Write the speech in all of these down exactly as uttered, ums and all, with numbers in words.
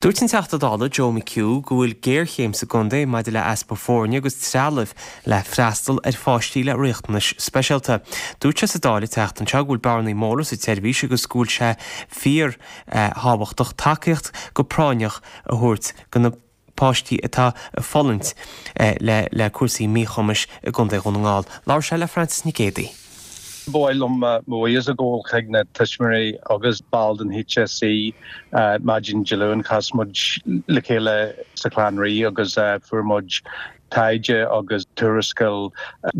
Dúirt an Teachta Dála Joe McHugh go bhfuil géarchéim sa gcontae maidir le easpa foirne agus trealamh le freastal ar pháistí le riachtanais speisialta. Dúirt sé sa Dáil an tseachtain seo go bhfuil bearnaí móra sa tseirbhís agus go bhfuil sé fíor eh, thábhachtach tacaíocht go práinneach a thabhairt do na páistí atá ag fulaingt eh, le le cúrsaí míchumais i gContae Dhún na nGall. Labhair sé le Francis Nic Géadaigh. B'áil liom mo bhuíochas a ghabháil chuig na tuismitheoirí agus baill den HSE maidin Dé Luain chas muid le chéile sa Chlann Rí agus fuair muid taighde agus tuarascáil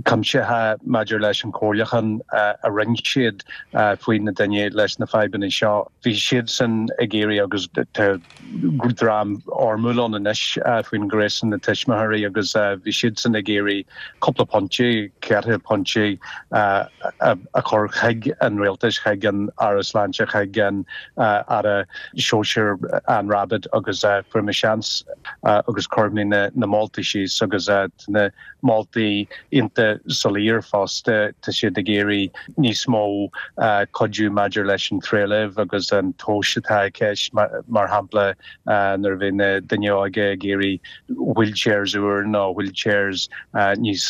cuimsitheach maidir leis an chomhairliúchán a rinne siad faoi na daoine leis na fadhbanna seo. Bhí siad san ag iarraidh agus dream armúil anois faoin ngréasán na tuismitheoirí agus bhí siad san ag iarraidh cúpla pointe ceithre pointe a chur chuig an rialtas chuig an Aire Sláinte chuig an Aire Sóisear Anne Rabbitte agus fuair mé seans agus chuir mé na, na moltaí síos agus na moltaí iontach soiléir fosta tá siad ag iarraidh níos mó cuidiú maidir leis an trealamh agus an tomhas atá i gceist mar shampla nuair a bhí na daoine óga ag iarraidh wheelchairs úr nó wheelchairs níos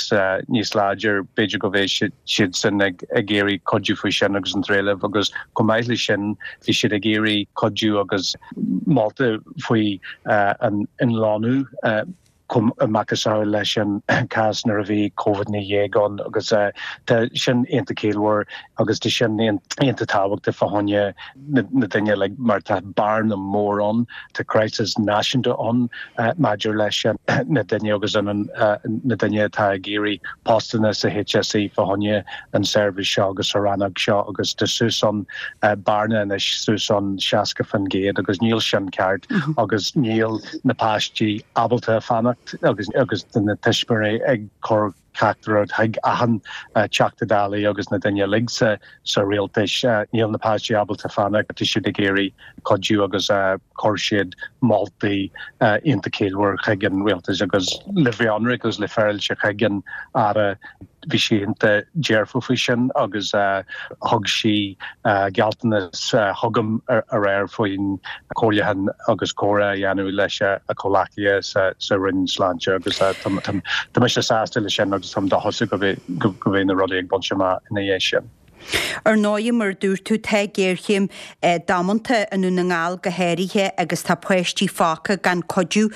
níos láidir b'fhéidir go bhfuil siad sin ag ag iarraidh cuidiú faoi sin agus an trealamh agus chomh maith leis sin bhí siad ag iarraidh cuidiú agus molta faoi an inlánú macasamhail leis an cás nuair a bhí COVID naoi déag ann agus tá sin iontach ciallmhar agus tá sin iontach tábhachtach fá choinne na daoine le mar tá bearna mór ann tá crisis náisiúnta ann maidir leis na daoine agus an na daoine atá ag iarraidh postanna sa HSE fá choinne an seirbhís seo agus sa rannóg seo agus tá suas an bearna anois suas an seasca faoin gcéad agus níl sin ceart agus níl na páistí ábalta fanacht agus agus na tuismitheoirí ag cur teachtaireacht chuig achan Teachta Dála agus na daoine uilig sa sa rialtas níl na páistí ábalta fanacht tá siad ag iarraidh cuidiú agus chuir siad moltaí iontach ciallmhar chuig an rialtas agus le bheith ionraic agus le féaráilte chuig an Aire bhí sí iontach dearfach faoi sin agus thug sí gealltanas chugam aréir faoin chomhairliúchán agus comhrá a dhéanamh leis a comhghleacaithe sa sa Roinn Sláinte agus tá mise sásta leis sin agus táim dóchasach go go mbeidh na rudaí ag baint amach ina dhiaidh sin. Ar ndóigh mar dúirt tú tá géarchéim damanta i nDún na nGall go háirithe agus tá páistí fágtha gan cuidiú.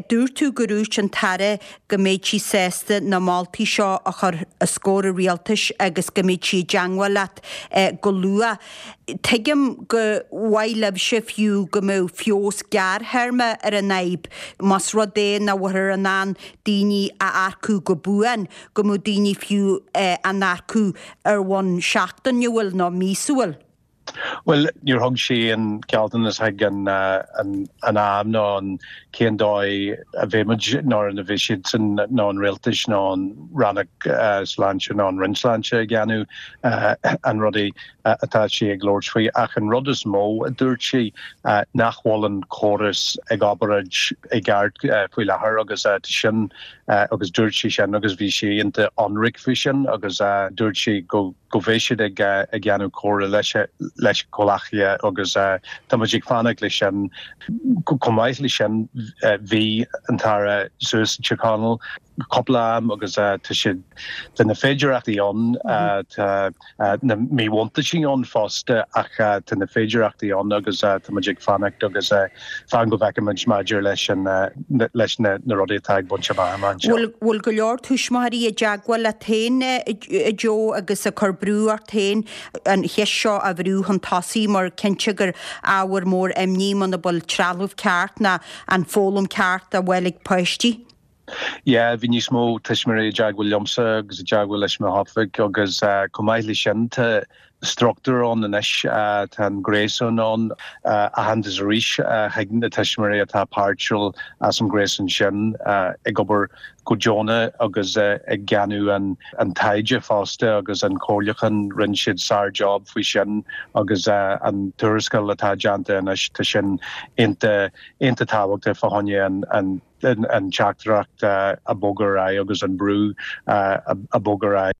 Dúirt tú go ndúirt an tAire go mbeidh sí sásta na moltaí seo a chur os comhair an rialtais agus go mbeidh sí i dteagmháil leat go luath. Tuigim go mhaith libhse fiú go mbeadh feabhas gearrthéarma ar an fhadhb, más rud é nach bhfuiltear in ann daoine a earcú go buan, go mbeadh daoine fiú á n-earcú ar bhonn seachtainiúil nó míosúil. Well níor thug sí an gealltanas chuig an an am nó an cén dóigh a bheimid nó a bhí siad san nó an rialtas nó an rannóg sláinte nó an Roinn Sláinte ag déanamh an rudaí atá sí ag labhairt faoi ach an rud is mó a dúirt sí nach bhfuil an córas ag obair i gceart faoi láthair agus sin agus dúirt sí sin agus bhí sí iontach ionraic faoi sin agus dúirt sí go go bheidh siad ag ag déanamh comhrá leis leis comhghleacaithe agus tá muid ag fanacht leis sin chomh maith leis sin bhí an tAire suas Tír Chonaill cúpla am agus tá siad tá na féidireachtaí ann tá na míbhuntáistí ann fosta ach tá na féidireachtaí ann agus tá muid ag fanacht agus fan go bhfeicfimid maidir leis an leis na na rudaí atá ag baint amach anseo. Bhfuil go leor tuismitheoirí i dteagmháil leat féin a Joe agus ag cur brú ort féin an cheist seo a bhrú chun tosaigh mar cinnte gur ábhar mór imní muna bhfuil trealamh ceart ná an foghlaim ceart á fháil ag páistí. Yeah, bhí níos mó tuismitheoirí i dteagmháil liomsa agus i dteagmháil leis mo oifig agus chomh maith leis sin tá struchtúr ann anois tá an gréasán ann aitheantas arís chuig na tuismitheoirí atá páirteach as an gréasán sin ag obair go deonach agus ag déanamh an an taighde fosta agus an comhairliúchán rinne siad sár-job faoi sin agus an tuarascáil atá déanta anois tá sin iontach iontach tábhachtach fá choinne an an an teachtaireacht a bhog ar aghaidh agus an brú a bhog ar aghaidh.